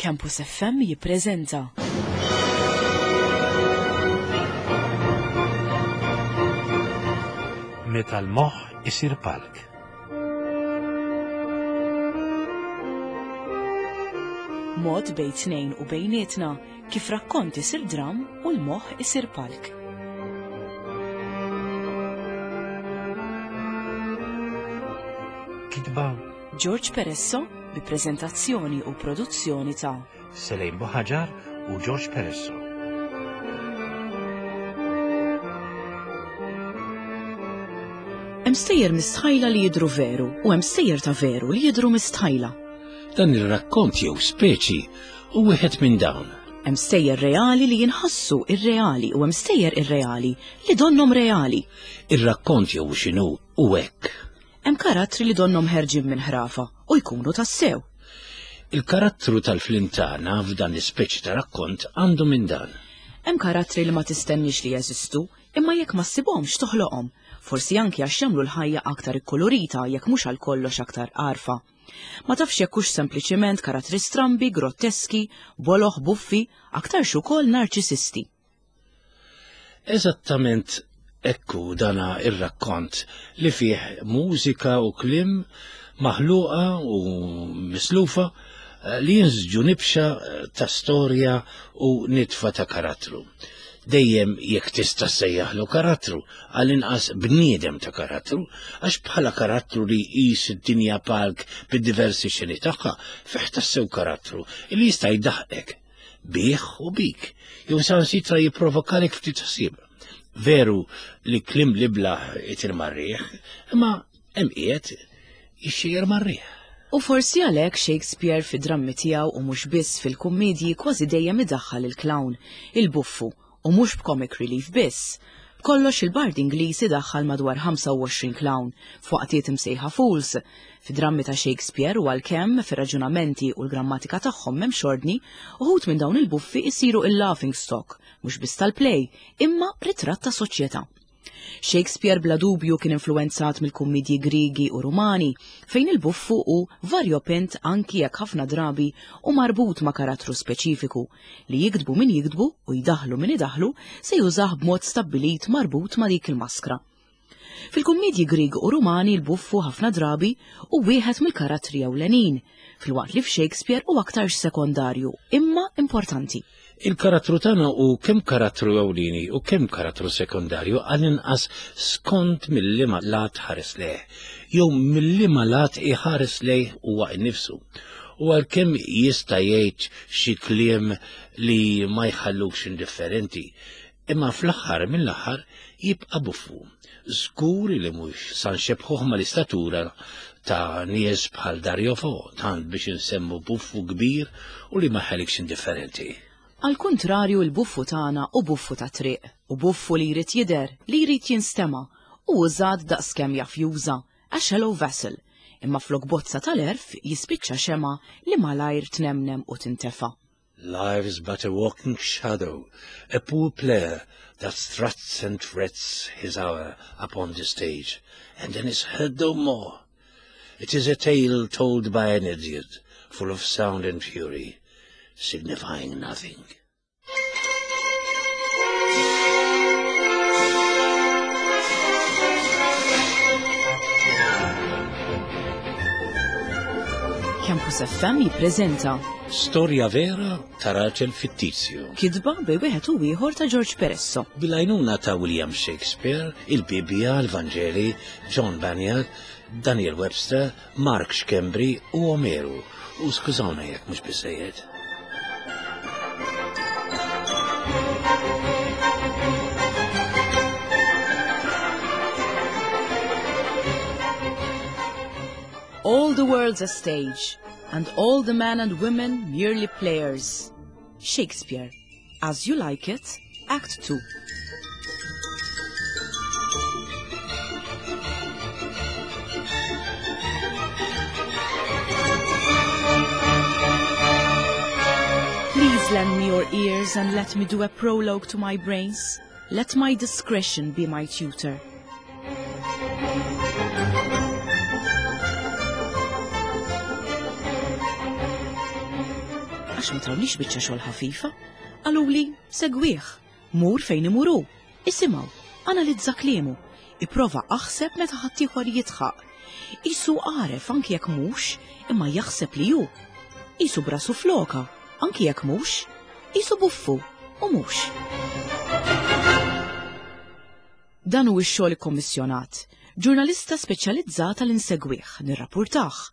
Campus FM jippreżenta. Meta l-moħħ isir palk. Mod bejn tnejn u bejnietna kif rakkont isir dram u l-moħħ isir palk. Kitba George Peresso bi preżentazzjoni u produzzjoni ta' Selejn Buħaġar u George Peresso. Hemm stejjer mistħajla li jidhru veru u hemm stejjer ta' veru li jidhru mistħajla. Dan ir-rakkont jew speċi hu wieħed minn dawn. Hemm stejjer reali li jinħassu irreali u hemm stejjer irreali li donnhom reali. Ir-rakkont jew x'inhu hu hekk. Hemm karattri li donnhom ħerġin minn ħrafa u jkunu tassew. Il-karattru tal-film tagħna f'dan l-ispeċi ta' rakkont għandu minn dan. Hemm karattri li ma tistenniex li jeżistu, imma jekk ma ssibhomx toħloqhom, forsi anki għax jagħmlu l-ħajja aktar ikkulurita jekk mhux għal kollox aktar għarfa. Ma tafx jekk hux sempliċiment karattri strambi, grotteski, boloh, buffi, aktarx ukoll narċisisti. Eżattament hekk hu dana ir-rakkont li fih mużika u kliem maħluqa u mislufa eh, li jinsġu nibxa eh, ta' storja u nitfa ta' karattru. Dejjem jekk tista' sejjaħlu karattru, għall-inqas bniedem ta' karattru, għax bħala karattru li jqis id-dinja palk bid-diversi xeni tagħha, fih tassew karattru li jista' jdaħqek bih u bik, jew saħansitra jipprovokalek ftit ħsieb. Veru li klim li blaħ itir marriħ, imma hemm qiegħed ixxejjer marriħ. U forsi għalhekk Shakespeare fid-drammi tiegħu u mhux biss fil-kummiedji kważi dejjem idaħħal il-clown, il-buffu, U mhux b'comic relief biss. B'kollox il-bard Ingliż idaħħal madwar 25 clown, f'waqtiet imsejħa fools. Fid-drammi ta' Shakespeare u għalkemm fir-raġunamenti u l-grammatika tagħhom m'hemmx ordni, uħud minn dawn il-buffi jsiru il-laughing stock, mhux biss tal-play, imma ritratt ta' soċjetà. Shakespeare bla dubju kien influwenzat mill-kummiedji Griegi u Rumani, fejn il-buffu hu varjopint anki jekk ħafna drabi hu marbut ma' karattru speċifiku, li jiktbu min jiktbu u jdaħħlu min idaħħlu se jużah b'mod stabbilit marbut ma' dik il-maskra. Fil-kummiedji Griegi u Rumani l-buffu ħafna drabi hu wieħed mill-karattri ewlenin, filwaqt li f'Shakespeare hu aktarx sekondarju imma importanti. Il-karattru tagħna hu kemm karattru ewlieni u kemm karattru sekondarju għall-inqas skont mil-liema lat ħares lejh, jew mil-liema lat iħares lejh huwa innifsu. U għalkemm jista' jgħid xi kliem li ma jħallukx indifferenti, imma fl-aħħar mill-aħħar jibqa' buffu. Żgur li mhux sa nxebbħuh mal-istatura ta' nies bħal Dario Fo, tant biex insemmu buffu kbir u li ma jħallikx indifferenti. Għall-kuntrarju l-buffu tagħna hu buffu tat-triq, hu buffu li jrid jidher, li jrid jinstema', u użat daqskemm jaf juża, a shallow vessel, imma flok bozza tal-għerf jispiċċa xemgħa li malajr tnemnem u tintefa'. Life's but a walking shadow, a poor player that struts and frets his hour upon the stage, and then is heard no more. It is a tale told by an idiot, full of sound and fury, signifying nothing. Campus FM jippreżenta Storja vera ta' raġel fittizju. Kitba bej wieħed u ieħor ta' George Peresso. Bil-għajnuna ta' William Shakespeare, il-Bibbja, l-Vanġeli, John Bunyan, Daniel Webster, Mark Schembri u Omeru. U skużawna jekk mhux biżejjed. All the world's a stage, and all the men and women merely players. Shakespeare, As You Like It, Act 2. Please lend me your ears and let me do a prologue to my brains. Let my discretion be my tutor. Għax ma tawniex biċċa xogħol ħafifa. Qaluli segwih, mur fejn imur hu, isimgħu, analizza kliemu, ipprova aħseb meta ħaddieħor jidħaq. Qisu għaref anki jekk mhux, imma jaħseb li hu. Qisu b'rasu floka, anki jekk mhux. Qisu buffu, u mhux. Dan hu x-xogħol ikkommissjonat. Ġurnalista speċjalizzata li nsegwih, nirrapurtah.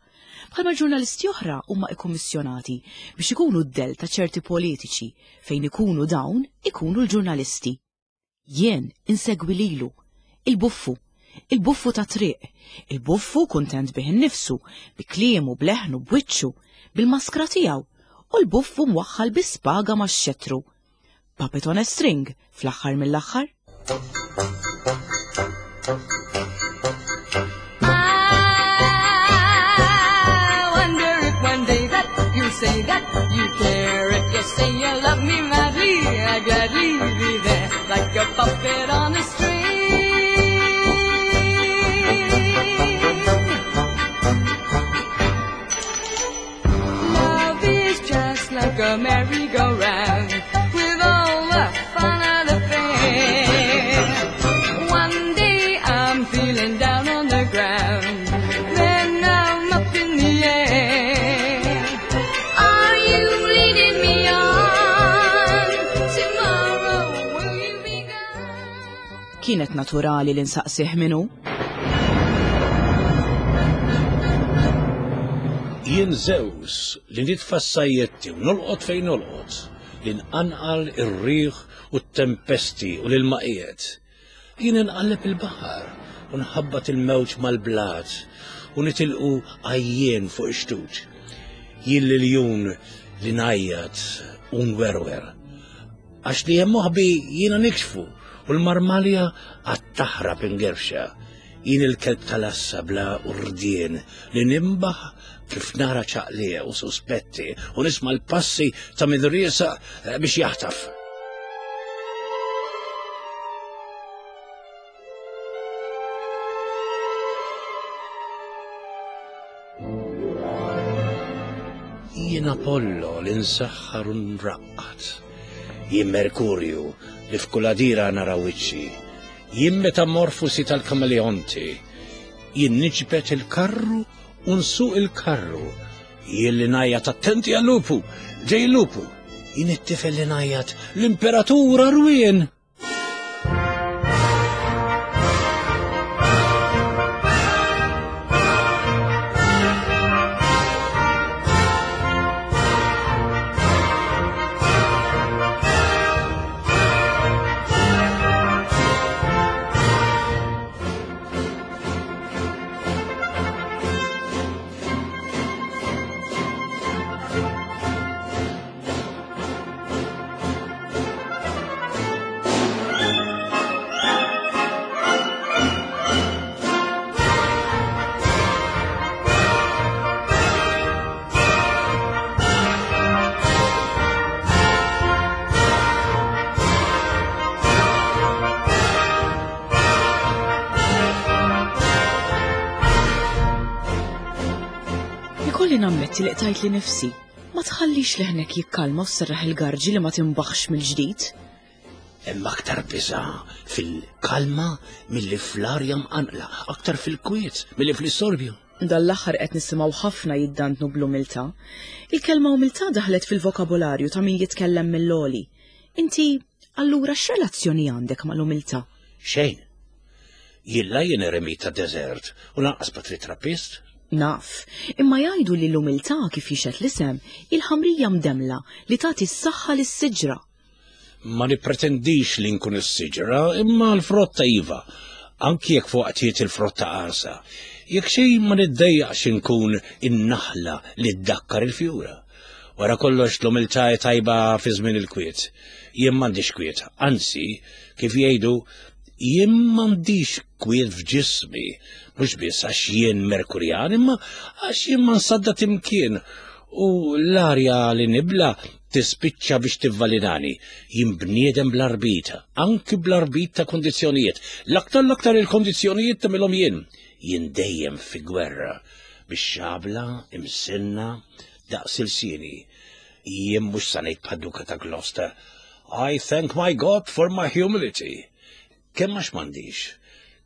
Bħalma ġurnalisti oħra huma ikkummissjonati biex ikunu d-dell ta' ċerti politiċi fejn ikunu dawn ikunu l-ġurnalisti. Jien insegwi lilu, il-buffu, il-buffu ta' triq, il-buffu kuntent bih innifsu, bi kliemu, bleħnu, b'wiċċu, bil-maskra tiegħu, u l-buffu mwaħħal bi spaga max-xettru. Puppet on a string, fl-aħħar mill-aħħar. Say that you care if you say you love me madly, I'd gladly be there like a puppet on a string. Love is just like a merry-go-round with all the fun of the fair. One day I'm feeling down on the ground, then I'm up in the air. Are you leading me on? Tomorrow will you be gone? Kienet naturali li nsaqsih min hu. Jien Zeus li nitfa' s-sajjetti u nolqot fejn nolqot, li nqanqal ir-riħ u t-tempesti u l-ilmaqiet. Jien inqalleb il-baħar u nħabbat il-mewġ mal-blat u nitilqu għajjien fuq ix-xtut. Jien l-iljun li ngħajjat u nwerwer. Għax li hemm moħbi jiena nikxfu u l-marmalja għad taħrab ingerfxa. Jien il-kelb tal-assa bla urdien li nimbaħ kif nara ċaqliq u suspetti u nisma' l-passi ta' min riesaq biex jaħtaf. Jien Apollo li nsaħħar u nraqqad. Jien Merkurju li f'kull għadira nara wiċċi. Jien metamorfosi tal-kameleonti. Jien niġbed il-karru u nsuq il-karru. Jien li ngħajjat attenti għal-lupu, ġej il-lupu. Jien it-tifel li ngħajjat l-imperatur għarwien. Ikolli nammetti li qtajt li nifsi. Ma tħallix leħnek jikkalma u sserraħ il-garġi li ma tinbaħx mill-ġdid. Hemm aktar biża' fil-kalma milli fl-arja mqanqla, aktar fil-kwiet milli fl-istorbju. Dan l-aħħar qed nisimgħu ħafna jiddandnu bl-umiltà. Il-kelma umiltà daħlet fil-vokabolarju ta' min jitkellem mill-għoli. Inti, allura x'relazzjoni għandek mal-umiltà? Xejn. Jien la jien eremit ta' deżert u lanqas patri Trappist. Naf, imma jgħidu li l-umiltà kif jixhed l-isem, hi l-ħamrija mdemmla li tagħti s-saħħa lis-siġra. Ma nippretendix li nkun is-siġra, imma l-frotta iva, anki jekk f'waqtiet il-frotta qarsa. Jekk xejn ma niddejjaqx inkun in-naħla li ddakkar il-fjura. Wara kollox l-umiltà hi tajba fi żmien il-kwiet. Jien m'għandix kwiet, anzi, kif jgħidu, jien m'għandix kwiet f'ġismi, mhux biss għax jien Merkurjan, imma għax jien ma nsaddad imkien u l-arja li nibla tispiċċa biex tivvalinani. Jien bniedem bl-arbita, anki bl-arbit ta' kondizzjonijiet. L-aktar l-aktar il-kondizzjonijiet tagħmilhom jien. Jien dejjem fi gwerra, bix-xabla imsinna daqs ilsieni. Jien mhux sa ngħid bħad-Duka ta' Gloucester, I thank my God for my humility. Kemm għax m'għandix,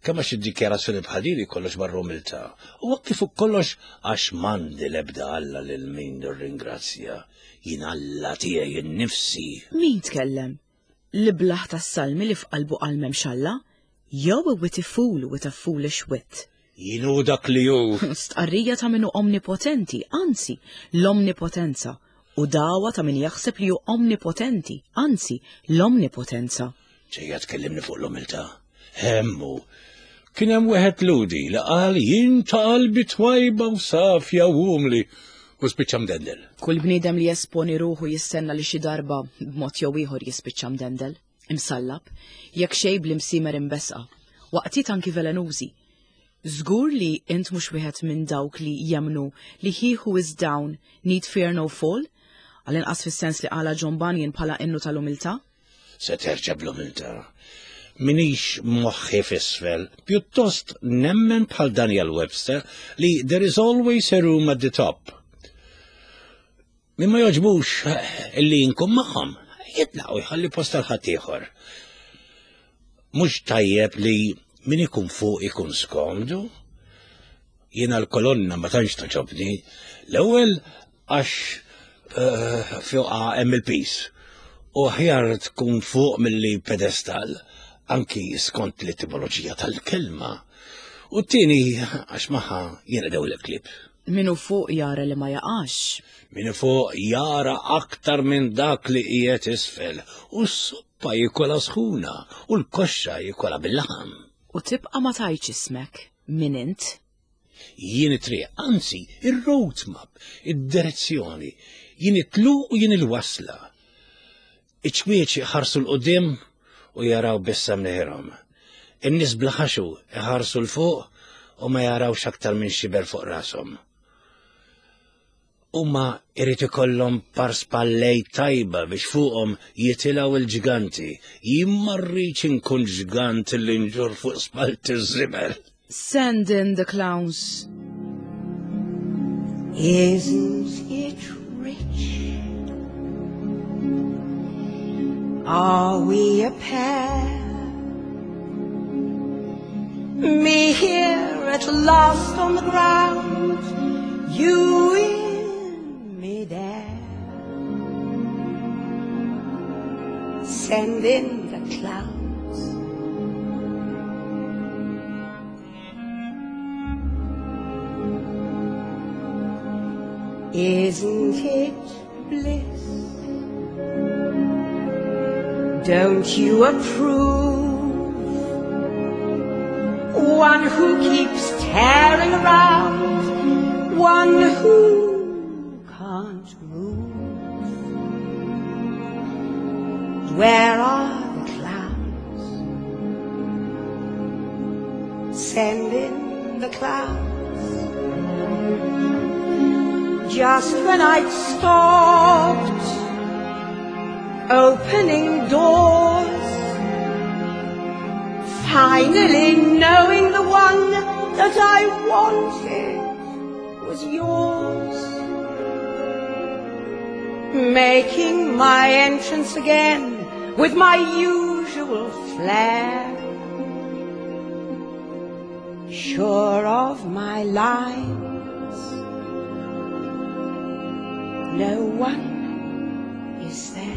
kemm għax id-dikjarazzjoni bħal din kollox barra umiltà, u hekk kif kollox għax m'għandi l-ebda Alla lil min nirringrazzja, jien Alla tiegħi nnifsi. Min tkellem? L-iblah tas-salmi li f'qalbu qal m'hemmx Alla? Jew a witty fool with a foolish wit? Jien hu dak li hu. Stqarrija ta' min hu omnipotenti, anzi, l-omnipotenza, u dagħwa ta' min jaħseb li hu omnipotenti, anzi, l-omnipotenza. Ġejja tkellimni fuq l-umiltà. Hemm hu. Kien hemm wieħed Lhudi li qal jien ta' qalbi twajba u safja u umli u spiċċa mdendel. Kull bniedem li jesponi ruħu jistenna li xi darba b'mod jew ieħor jispiċċa mdendel, imsallab, jekk xejn bl-imsiemer imbesqa, waqtiet anki velenużi. Żgur li int mhux wieħed minn dawk li jemmnu li he who is down need fear no fall, għall-inqas fis-sens li qalha John Bunyan bħala innu tal-umiltà? Se terġa' bl-umiltà. Minix moħħi f'isfel, pjuttost nemmen bħal Daniel Webster li there is always a room at the top. Min ma jogħġbux illi nkun magħhom, jitlaq u jħalli post għal ħaddieħor. Mhux tajjeb li min ikun fuq ikun skomdu. Jiena l-kolonna ma tantx toġobni. L-ewwel għax eh, fuqha hemm il-pis. U aħjar tkun fuq milli pedestal, anki skont l-etimoloġija tal-kelma. U t-tieni għax magħha jiena dew l-klib. Minu fuq jara li ma jaqax. Minu fuq jara aktar minn dak li qiegħed isfel u s-soppa jikola sħuna u l-koxxa jikola bil-laħam. U tibqa' ma tgħidx ismek min int. Jien it-triq, anzi, ir-roadmap, id-direzzjoni, jien it-tluq u jien il-wasla. Iċ-ċwieċ iħarsu 'l quddiem u jaraw biss sa mneħirhom. In-nies bla ħaxu iħarsu 'l fuq u ma jarawx aktar minn xiber fuq rashom. Huma irid ikollhom par spallej tajba biex fuqhom jitilgħu l-ġganti. Jien ma rridx inkun ġgant li nġur fuq spalti ż-żibel. Send in the clowns. Isn't it rich? Are we a pair? Me here at last on the ground, you in midair. Send in the clowns. Isn't it bliss? Don't you approve? One who keeps tearing around, one who can't move. Where are the clowns? Send in the clowns. Just when I'd stopped opening doors, finally knowing the one that I wanted was yours, making my entrance again with my usual flair, sure of my lines, no one is there.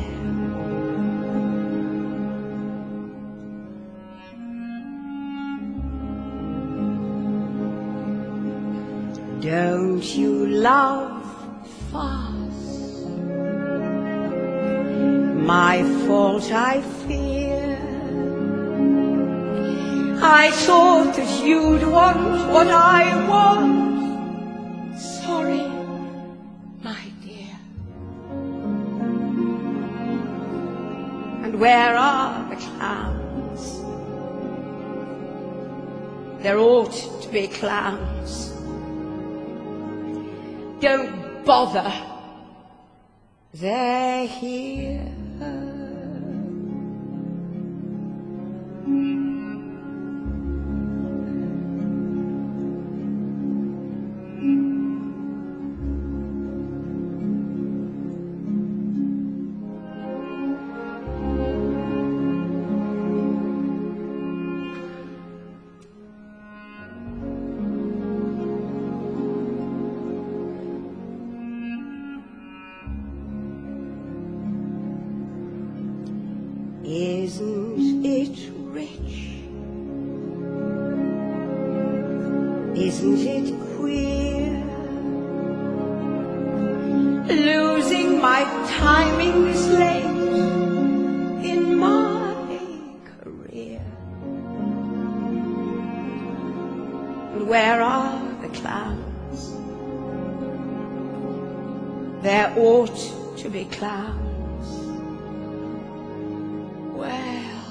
Don't you love farce? My fault, I fear. I thought that you'd want what I want. Sorry, my dear. And where are the clowns? There ought to be clowns. Don't bother. They're here. Isn't it rich? Isn't it queer? Losing my timing this late in my career. And where are the clowns? There ought to be clowns. Well,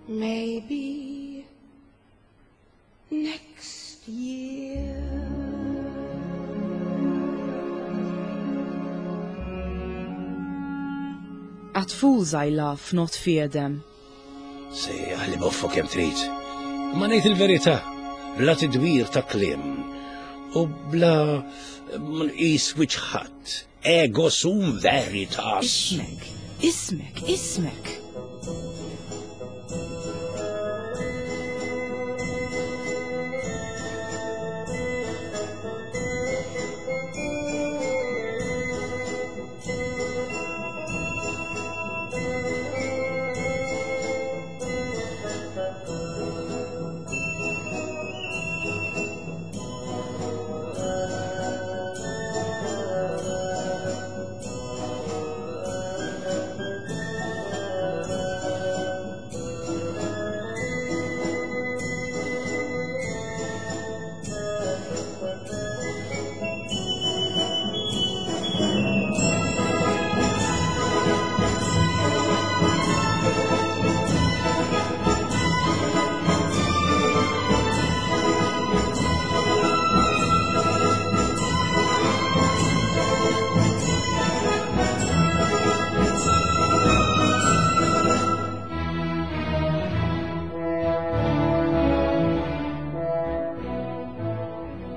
maybe next year. At fools I laugh, not fear them. Sejjaħ li boffu kemm trid. Ma ngħid il-verità, bla tidwir ta' kliem u bla nqis wiċċ ħadd. Ego sum veritas. Ismek, ismek, ismek.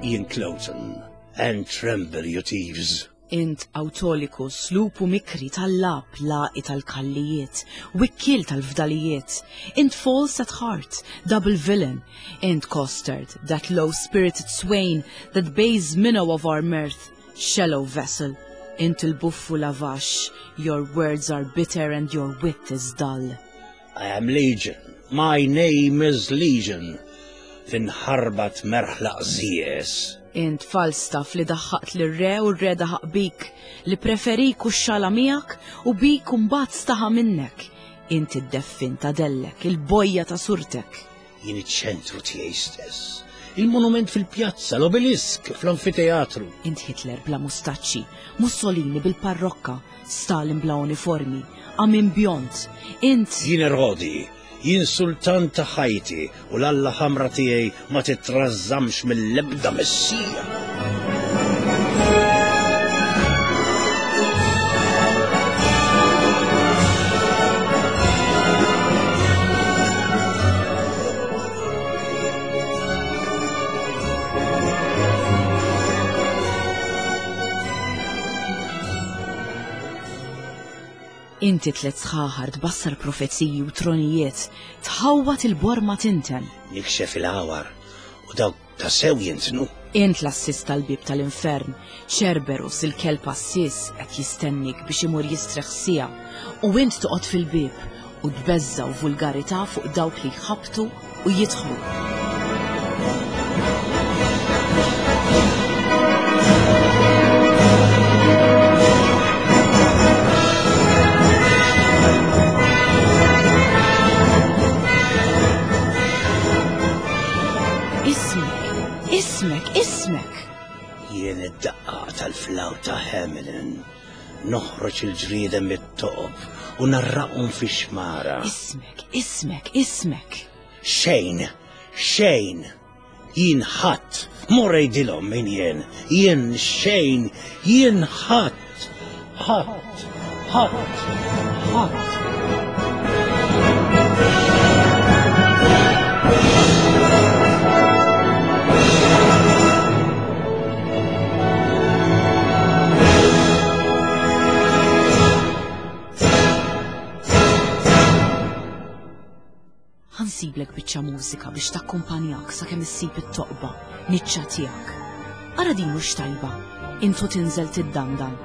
Ian Cloten and tremble you thieves. Int Autolycus, lupu mikri tal-lab laqi tal-kallijiet, wikkiel tal-fdalijiet. Int false at heart, double villain. Int costard, that low-spirited swain, that base minnow of our mirth, shallow vessel. Int il-buffu lavax, your words are bitter and your wit is dull. I am Legion. My name is Legion. Finħarbat merħla qżież. Int Falstaff li daħħaqt lir-re u r-re daħaq bik, li preferik u xxala miegħek u bik u mbagħad staħa minnek. Int id-deffin ta' dellek, il-bojja ta' surtek. Jien iċ-ċentru tiegħi stess. Il-monument fil-pjazza, l-obelisk fl-amfiteatru. Int Hitler bla mustaċċi, Mussolini bil-parrokka, Stalin bla uniformi, Amin bjond. Int. Jien Erodi, jien sultan ta' ħajti u l-alla ħamra tiegħi ma titrażżamx mill-ebda messija. Inti tlet sħaħar tbassar profeziji u tronijiet, tħawwat il-borma tinten. Nikxef il-għawar u dawk ta' sew jintnu. Int l-assis tal-bib tal-infern, Ċerberus il-kelb assis qed jistennik biex imur jistreħ siegħa u int toqgħod fil-bieb u tbeżża' u vulgarità fuq dawk li jħabbtu u jidħlu. Ismek, ismek, ismek! Jien id-daqqa tal-flawta Hamelin. Noħroġ il-ġrieden mit-toqob u narraqhom fix-xmara. Ismek, ismek, ismek. Xejn, xejn. Jien ħadd, mur għidilhom min jien. Jien xejn, jien ħadd, ħadd, ħadd, ħadd. Ħa nsiblek biċċa mużika biex takkumpanjak sakemm issib it-toqba, niċċa tiegħek. Ara din mhux tajba, intu tinżel tiddandan.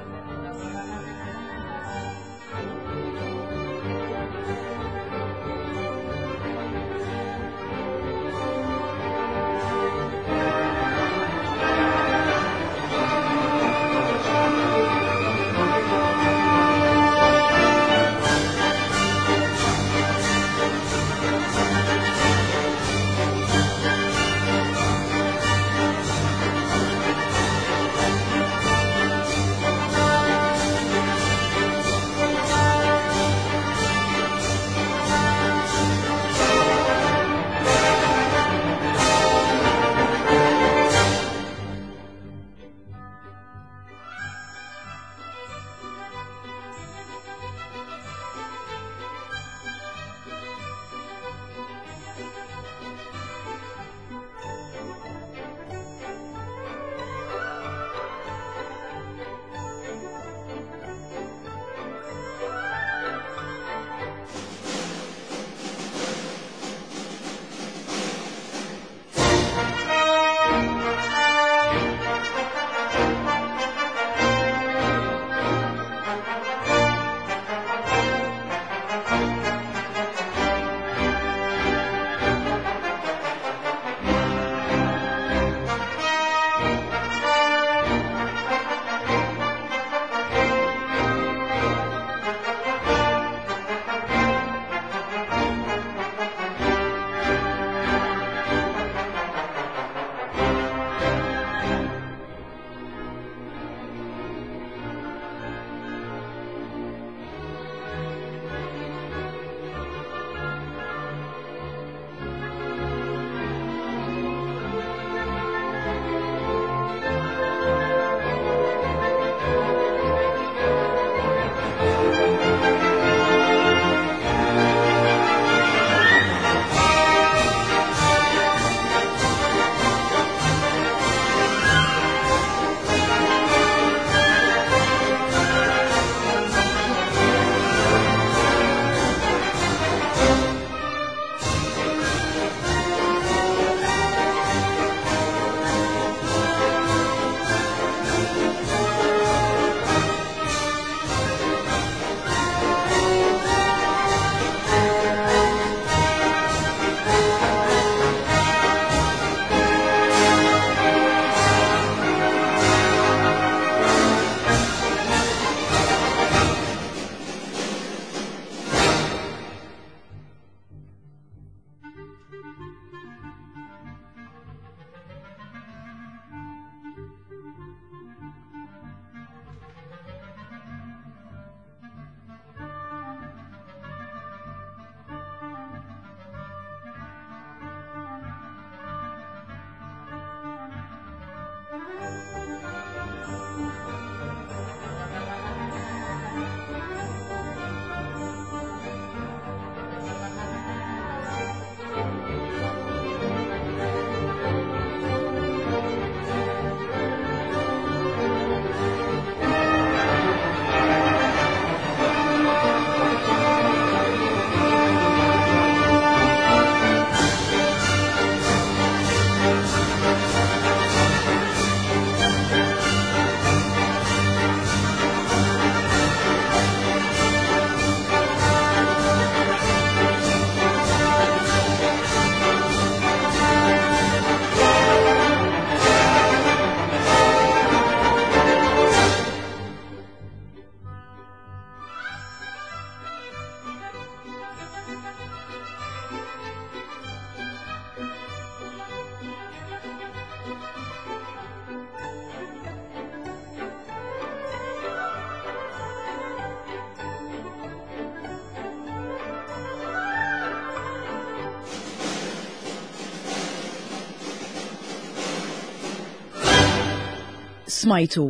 Smajtu.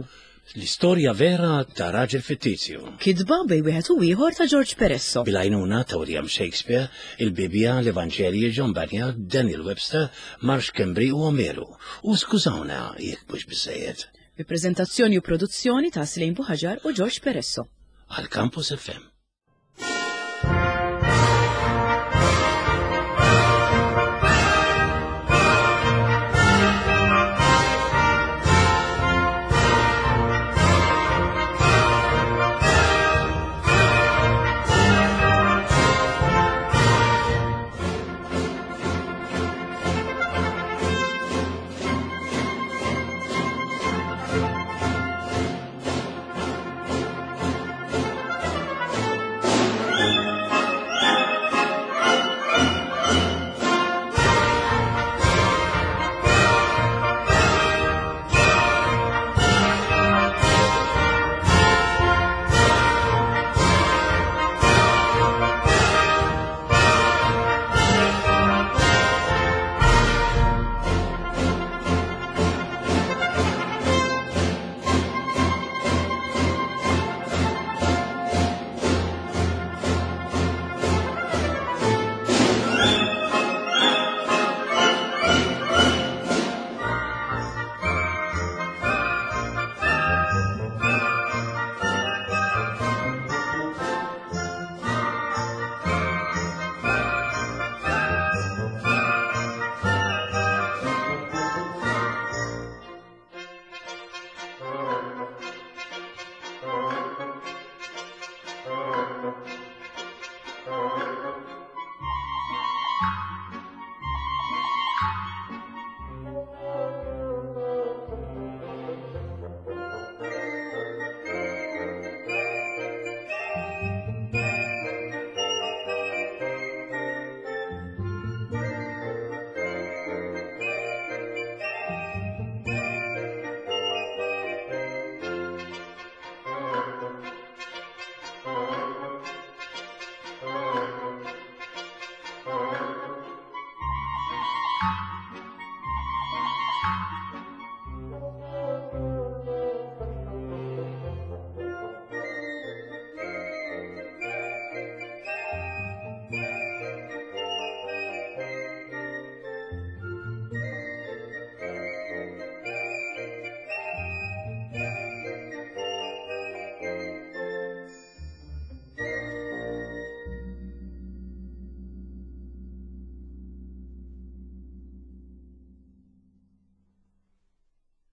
L-istorja vera ta' raġel fittizju. Kitba bej wieħed u ieħor ta' George Peresso. Bil-għajnuna ta' William Shakespeare, il-Bibbja, l-Evanġelji, John Bunyan, Daniel Webster, Marsh Kembri u Omeru. U skużawna jekk mhux biżejjed. Bi preżentazzjoni u produzzjoni ta' Slejn Buħaġar u George Peresso. Għal Campus FM.